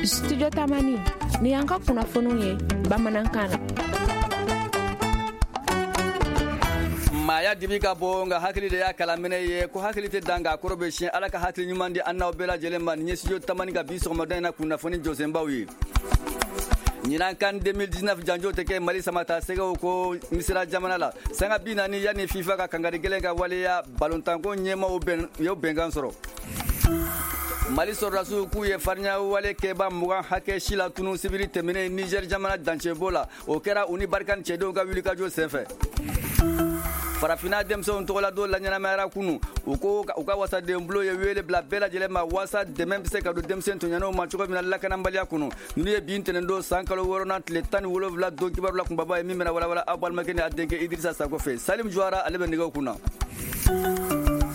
Studio Tamani, ni y'an ka kunnafoniw ye bamanankan na. Maaya dibi ka bon, nka hakili de y'a kalaminɛ ye, ko hakili tɛ dan, nka kɔrɔ bɛ siɲɛ. Ala ka hakili ɲuman di an n'aw bɛɛ lajɛlen ma. Nin ye Studio Tamani ka bi sɔgɔmada in na kunnafoni jɔsenbaw ye. Ɲinan CAN 2019 janjo tɛ kɛ Mali samata sɛgɛw ko Misira jamana la. Sanga 40 yanni FIFA ka kangari gɛlɛn ka waleya, balontanko ɲɛmaw bɛn y'o bɛnkan sɔrɔ. Mali sɔrɔdasiw k'u ye farinya wale kɛba 20 hakɛ si la tunu sibiri tɛmɛnen Niger jamana dancɛbo la. O kɛra u ni Barkhane cɛdenw ka wulikajɔ senfɛ. Farafinna denmisɛnw tɔgɔladon laɲɛnamayara kunu. U ko u ka wasaden bulon ye wele bila bɛɛ lajɛlen ma waasa dɛmɛ bɛ se ka don denmisɛn tɔɲɔnenw ma cogo min na lakanabaliya kɔnɔ. Ninnu ye bi ntɛnɛndon san kalo wɔɔrɔnan tile 17 don kibaru la kunbaba ye, min bɛna walawala aw balimakɛ ni a denkɛ Idirisa Sako fɛ. Salim Juwara, ale bɛ nɛgɛw kunna.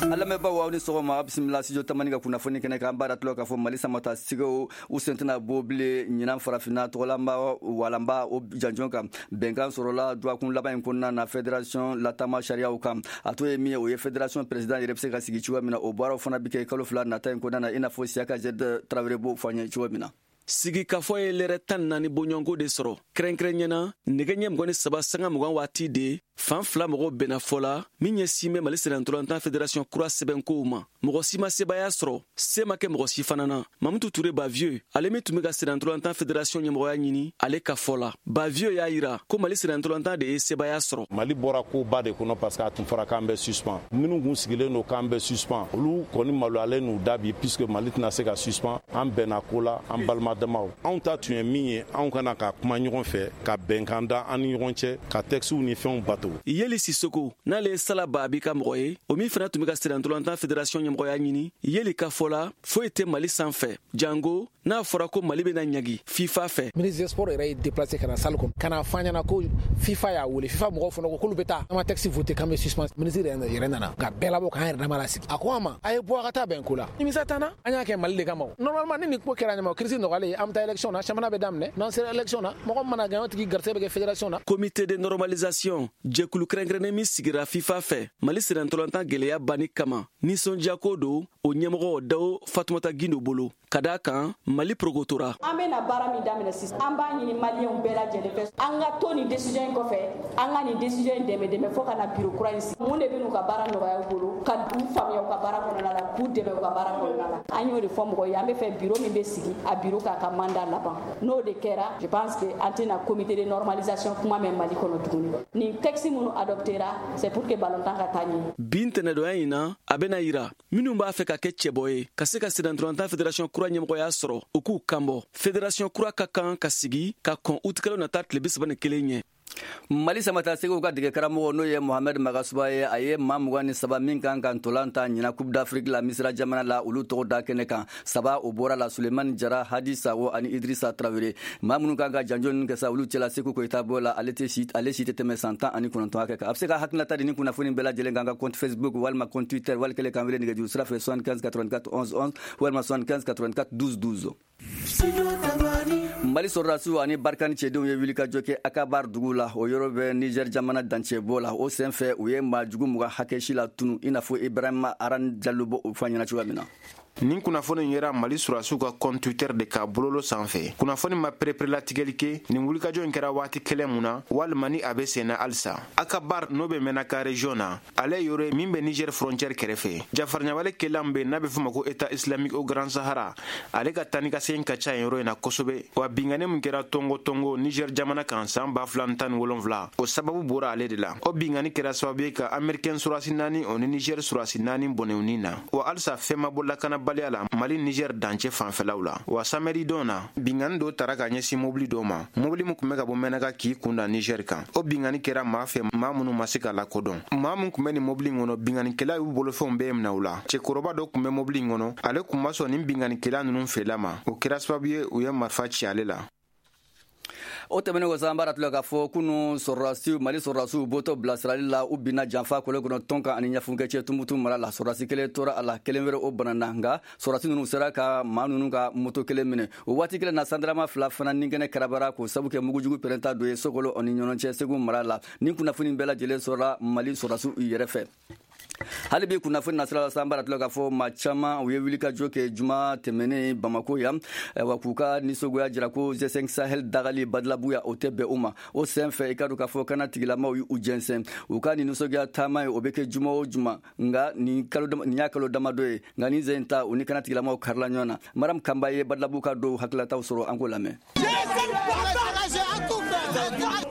An lamɛnbaaw, aw ni sɔgɔma, aw bisimila Studio Tamani ka kunnafoni kɛnɛ kan. An b'a datulɔ k'a fɔ Mali samata sigiw, u sen tɛna bɔ bilen ɲinan farafinna tɔgɔlaba walanba o janjon kan. Bɛnkan sɔrɔla dɔgɔkun laban in kɔnɔna na fédération latama sariyaw kan. A to ye min ye, o ye fédération président yɛrɛ bɛ se ka sigi cogoya min na. O baaraw fana bɛ kɛ kalo 2 nata in kɔnɔna na, i n'a fɔ Siyaka Zed Tarawele b'o fɔ an ye cogo min na. Sigikafɔ ye lɛrɛ 14 bɔɲɔgɔnko de sɔrɔ. Kɛrɛnkɛrɛnyana, nɛgɛ ɲɛ 23 sanga 20 waati de, fan fila mɔgɔw bɛnna fɔ la min ɲɛsin bɛ Mali sennantolatan fédération kura sɛbɛnkow ma. Mɔgɔ si ma sebaaya sɔrɔ, se ma kɛ mɔgɔ si fana na. Mamutu Ture Bavieux, ale min tun bɛ ka sennantolatan fédération ɲɛmɔgɔya ɲini, ale ka fɔ la, Bavieux y'a yira ko Mali sennantolatan de ye sebaaya sɔrɔ. Mali bɔra koba de kɔnɔ, parce que a tun fɔra k'an bɛ suspend. Minnu kun sigilen don k'an bɛ suspend, olu kɔni maloyalen n'u da bi, puisque Mali tɛna se ka suspend. An bɛnna ko la, an balima damaw. Anw ta tun ye min ye, anw kana ka kuma ɲɔgɔn fɛ, ka bɛnkan da an ni ɲɔgɔn cɛ, ka textew ni fɛnw bato. Yeli Sisoko, n'ale ye Sala Babi ka mɔgɔ ye, o min fana tun bɛ ka sennantolatan fédération ɲɛmɔgɔya ɲini, Yeli ka fɔ la, foyi tɛ Mali sanfɛ, jango n'a fɔra ko Mali bɛna ɲagi FIFA fɛ. Ministre des Sports yɛrɛ ye déplacé ka na salle kɔnɔ ka na fɔ an ɲɛna ko FIFA y'a wele. FIFA mɔgɔw fana ko k'olu bɛ taa, an ma texte voté k'an bɛ suspend. Ministre yɛrɛ nana ka bɛɛ labɔ, k'an yɛrɛ dama lasigi. A ko an ma a ye bɔ a ka taa bɛn ko la, nimisa t'an na, an y'a kɛ Mali de kama. Normalement, ni nin ko kɛra ɲɛma, crise nɔgɔyalen, an bɛ taa élection na, championnat bɛ daminɛ. N'an sera élection na, mɔgɔ min mana gagner, o tigi garisɛgɛ bɛ kɛ fédération na. Comité de normalisation, jɛkulu kɛrɛnkɛrɛnnen min sigira FIFA fɛ Mali sennantolatan gwɛlɛya banni kama, nisɔndiyako don o ɲɛmɔgɔ Dawo Fatumata Gindo bolo, ka da kan Mali porokotora. An bɛna baara min daminɛ sisan, an b'a ɲini Maliyɛnw bɛɛ lajɛlen fɛ, an ka to nin décision in kɔfɛ, an ka nin décision in dɛmɛ dɛmɛ fo ka na bureau kura in sigi. Mun de bɛ n'u ka baara nɔgɔya u bolo, ka u faamuya u ka baara kɔnɔna la, k'u dɛmɛ u ka baara kɔnɔna la? An y'o de fɔ mɔgɔw ye. An bɛ fɛ bureau min bɛ sigi, a bureau k'a ka mandat laban. N'o de kɛra, je pense que an tɛna comité de normalisation kuma mɛn Mali kɔnɔ tuguni. Nin texte minnu adoptera, c'est pour que ballontan ka taa ɲɛ. Bi ntɛnɛdonya in na, a bɛna yira minnu b'a fɛ ka kɛ cɛbɔ ye ka se ka sennantolatan fédération kura ɲɛmɔgɔya sɔrɔ, u k'u kanbɔ. Fédération kura ka kan ka sigi ka kɔn utikalo nata tile 31 ɲɛ. Mali samata segiw ka dege karamɔgɔ, n'o ye Mohamɛd Magasuba ye, a ye maa 23 min kan ka ntolan ta ɲina Coupe d'Afrique la Misira jamana la, olu tɔgɔ da kɛnɛ kan. Saba o bɔra la: Sulemani Jara, Hadi Sago ani Idrisa Tarawele. Maa minnu kan ka janjo ninnu kɛ sa, olu cɛla Seku Koyita b'o la. Ale tɛ si, ale si tɛ tɛmɛ san 19 hakɛ kan. A bɛ se ka hakilinata di ni kunnafoni bɛɛ lajɛlen kan ka compte Facebook walima compte Twitter, wali kelen k'an wele nɛgɛjuru sira fɛ 75 84 11 11 walima 75 84 12 12. Mali sɔrɔdasiw ani Barkhane cɛdenw ye wulikajɔ kɛ Akabar dugu la, o yɔrɔ bɛ Niger jamana dancɛbɔ la. O sen fɛ, u ye maa jugu 20 hakɛ si la tunu, i n'a fɔ Ibrahima Aran Jalo b'o fɔ an ɲɛna cogoya min na. Nin kunnafoni yera Mali surasiw ka compte Twitter de ka bololo sanfɛ. Kunnafoni ma pereperelatigɛli kɛ nin wulikajɔ in kɛra waati kɛlɛ mun na, walima ni a bɛ senna halisa. Akabar, n'o bɛ Menaka région na, ale yɔrɔ min bɛ Niger frontière kɛrɛfɛ, jafarɲawale kɛlan bɛ n'a bɛ fɔ ma ko État islamique au Grand Sahara, ale ka tani ka segin ka ca yen yɔrɔ in na kosɛbɛ. Wa bingani min kɛra Tongo Tongo Niger jamana kan san 2017, o sababu bɔra ale de la. O bingani kɛra sababu ye ka Américain surasi naani, o ni Niger surasi naani bɔnɛw na. Wa halisa fɛn ma bɔ lakanabaliya la Mali Niger dancɛ fanfɛlaw la. Wa samedi don na, bingani dɔ tara ka ɲɛsin mobili dɔ ma, mobili min tun bɛ ka bɔ Mɛnaka k'i kun da Niger kan. O bingani kɛra maa fɛ, maa minnu ma se ka lakodɔn. Maa min tun bɛ nin mobili in kɔnɔ, binganikɛla y'u bolofɛnw bɛɛ minɛ u la. Cɛkɔrɔba dɔ tun bɛ mobili in kɔnɔ, ale tun ma sɔn nin binganikɛla ninnu fɛla ma. O kɛra sababu ye u ye marifa ci ale la. O tɛmɛnen kɔ sa, an b'a ratila k'a fɔ kunu, sɔrɔdasiw, Mali sɔrɔdasiw bɔtɔ bilasirali la, u binna janfa kɔlɛ kɔnɔ tɔn kan ani ɲafunkɛ cɛ Tumutu mara la. Sɔrɔdasi kelen tora a la, kelen wɛrɛ o banana, nka sɔrɔdasi ninnu sera ka maa ninnu ka moto kelen minɛ. O waati kelen na, sandarama fila fana ni kɛnɛ karabara k'o sabu kɛ mugujugu pɛrɛnta dɔ ye Sokolo ani ɲɔgɔn cɛ, Segu mara la. Ni kunnafoni bɛɛ lajɛlen sɔrɔla Mali sɔrɔdasiw yɛrɛ fɛ. Hali bi kunnafoni nasira la, san baara tila k'a fɔ maa caman u ye wulikajɔ kɛ juma tɛmɛnen Bamako yan, wa k'u ka nisɔngoya jira ko G5 Sahel dagali Badalabugu yan, o tɛ bɛn u ma. O sen fɛ, i ka dɔn k'a fɔ kana tigilamaw y'u jɛnsɛn. U ka nin nisɔngoya taama ye, o bɛ kɛ juma o juma, nka nin kalo nin y'a kalo damadɔ ye, nka nin sen ta, u ni kana tigilamaw karila ɲɔgɔn na. Maram Kanba ye Badalabugu ka dɔw hakililataw sɔrɔ, an k'o lamɛn.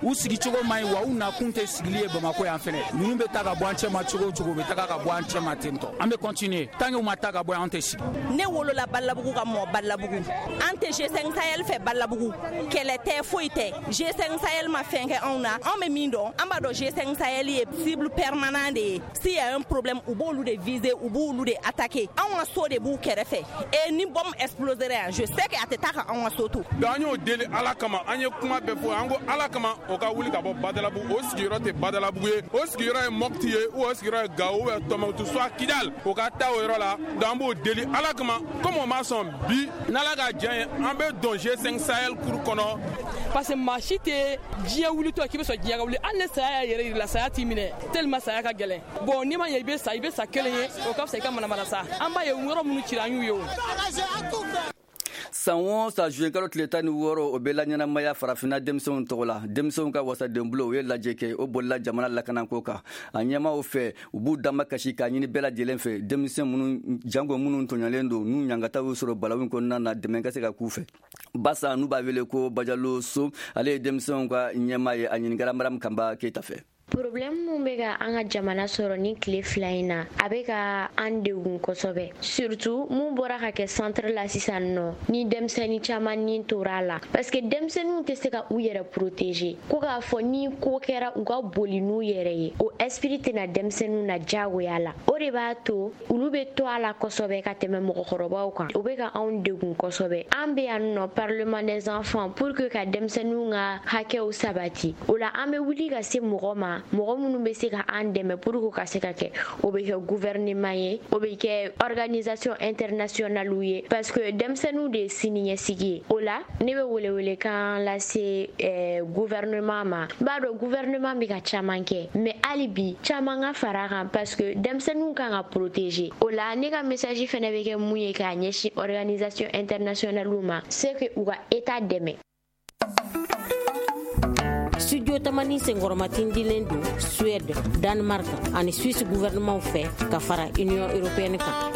U sigicogo man ɲi, wa u nakun tɛ sigili ye Bamako yan fɛnɛ. Ninnu bɛ taa ka bɔ an cɛma cogo o cogo, u bɛ taga ka bɔ an cɛma ten tɔ. An bɛ continuer tant que u ma taa ka bɔ yan, an tɛ sigi. Ne wolola Balabugu ka mɔ Balabugu. An tɛ G5 Sahel fɛ Balabugu. Kɛlɛ tɛ, foyi tɛ. G5 Sahel ma fɛn kɛ anw na. Anw bɛ min dɔn, an b'a dɔn G5 Sahel ye cible permanent de ye. S'il y a un problème, u b'olu de viser, u b'olu de attaquer. Anw ka so de b'u kɛrɛfɛ et ni bombe explosera yan, je sais que a tɛ taa ka anw ka so to. Donc an y'o deli Ala kama, an ye kuma bɛɛ fɔ, an ko Ala kama, o ka wuli ka bɔ Badalabugu. O sigiyɔrɔ tɛ Badalabugu ye, o sigiyɔrɔ ye Mɔpti ye, ou o sigiyɔrɔ ye Gawo ou Tɔnbukutu, soit Kidal, o ka taa o yɔrɔ la. Donc an b'o deli Ala kama. Comme o ma sɔn bi, n'Ala ka diya ye, an bɛ don G5 Sahel cour kɔnɔ. Parce que maa si tɛ diɲɛ wulitɔ k'i bɛ sɔn diɲɛ ka wuli. Hali ni saya y'a yɛrɛ yir'i la, saya t'i minɛ tellement saya ka gɛlɛn. Bon, n'i ma ɲɛ i bɛ sa, i bɛ sa kelen ye, o ka fisa i ka manamana sa. An b'a ye yɔrɔ minnu cira, an y'u ye o. San o san, juin kalo tile 16, o bɛ laɲɛnamaya Farafinna denmisɛnw tɔgɔ la. Denmisɛnw ka wasadenbulon, u ye lajɛ kɛ, o bolila jamana lakanako kan. A ɲɛmaw fɛ, u b'u dama kasi k'a ɲini bɛɛ lajɛlen fɛ, denmisɛn minnu jango minnu tɔɲɔlen don, n'u ɲangataw y'u sɔrɔ balawu kɔnɔna na, dɛmɛ ka se ka k'u fɛ. Basa, n'u b'a wele ko Bajalo So, ale ye denmisɛnw ka ɲɛmaa ye. A ɲininkara Maram Kanba Keyita fɛ. Problème mun bɛ ka an ka jamana sɔrɔ ni tile 2 in na, a bɛ ka an degun kosɛbɛ, surtout mun bɔra ka kɛ centre la sisan nɔ, ni denmisɛnnin caman ni tora a la, parce que denmisɛnninw tɛ se ka u yɛrɛ protéger. Ko k'a fɔ ni ko kɛra, u ka boli n'u yɛrɛ ye, o esprit tɛna denmisɛnninw na diyagoya la. O de b'a to olu bɛ to a la kosɛbɛ ka tɛmɛ mɔgɔkɔrɔbaw kan. O bɛ ka anw degun kosɛbɛ. An bɛ yan nɔ, Parlement des enfants, pour que ka denmisɛnninw ka hakɛw sabati. O la, an bɛ wuli ka se mɔgɔ ma, mɔgɔ minnu bɛ se ka an dɛmɛ pour que ka se ka kɛ. O bɛ kɛ gouvernement ye, o bɛ kɛ organisation internationale ye, parce que denmisɛnninw de ye siniɲɛsigi ye. O la, ne bɛ welewelekan lase gouvernement ma. N b'a dɔn gouvernement bɛ ka caman kɛ, mais hali bi caman ka fara a kan, parce que denmisɛnninw kan ka protéger. O la, ne ka message fɛnɛ bɛ kɛ mun ye k'a ɲɛsin organisation internationale ma, c'est que u ka état dɛmɛ. Studio Tamani senkɔrɔmatindilen don Suède, Danemark ani Suisse gouvernement fɛ ka fara Union européenne kan.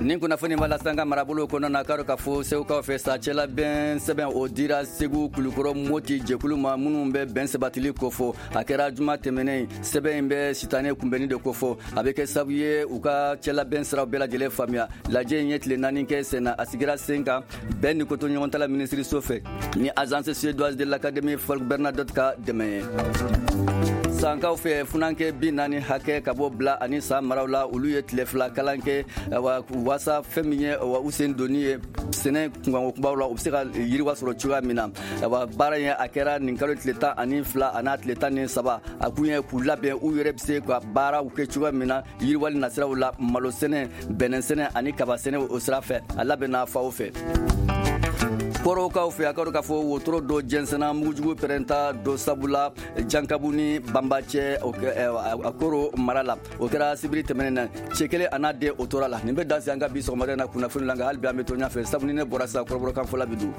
Nin kunnafoni b'a lase an ka marabolo kɔnɔ na. Karo ka fɔ Segukaw fɛ sa, cɛlabɛn sɛbɛn o dira Segu, Kulukɔrɔ, Moti jɛkulu ma minnu bɛ bɛn sabatili kofɔ. A kɛra juma tɛmɛnen. Sɛbɛn in bɛ sitanɛ kunbɛnni de kofɔ. A bɛ kɛ sababu ye u ka cɛlabɛn siraw bɛɛ lajɛlen faamuya. Lajɛ in ye tile 4 kɛ sen na. A sigira sen kan bɛn ni kotoɲɔgɔntala minisiriso fɛ ni Agence suédoise de l'Académie Folke Bernadotte ka dɛmɛ ye. Sankaw fɛ, funankɛ 40 hakɛ ka bɔ Bila ani San maraw la, olu ye tile 2 kalan kɛ waasa fɛn min ye u sen donni ye sɛnɛ kunkanko kumaw la, u bɛ se ka yiriwa sɔrɔ cogoya min na. Baara in, a kɛra nin kalo tile 12 a n'a tile 13. A kun ye k'u labɛn, u yɛrɛ bɛ se ka baaraw kɛ cogoya min na yiriwali nasiraw la, malo sɛnɛ, bɛnɛ sɛnɛ ani kaba sɛnɛ. O sira fɛ, a labɛnna faw fɛ. Kɔrɔkaw fɛ, a ka k'a fɔ wotoro dɔ jɛnsɛnna mugujugu pɛrɛnta dɔ sabula Jankabu ni Banba cɛ, a koro mara la. O kɛra sibiri tɛmɛnen na. Cɛ kelen a n'a den, o tora la. Nin bɛ dan an ka bi sɔgɔmada na kunnafoni la, nka hali bi an bɛ to ɲɛfɛ, sabu ni ne bɔra sisan, kɔrɔbɔrɔkan fɔla bɛ don.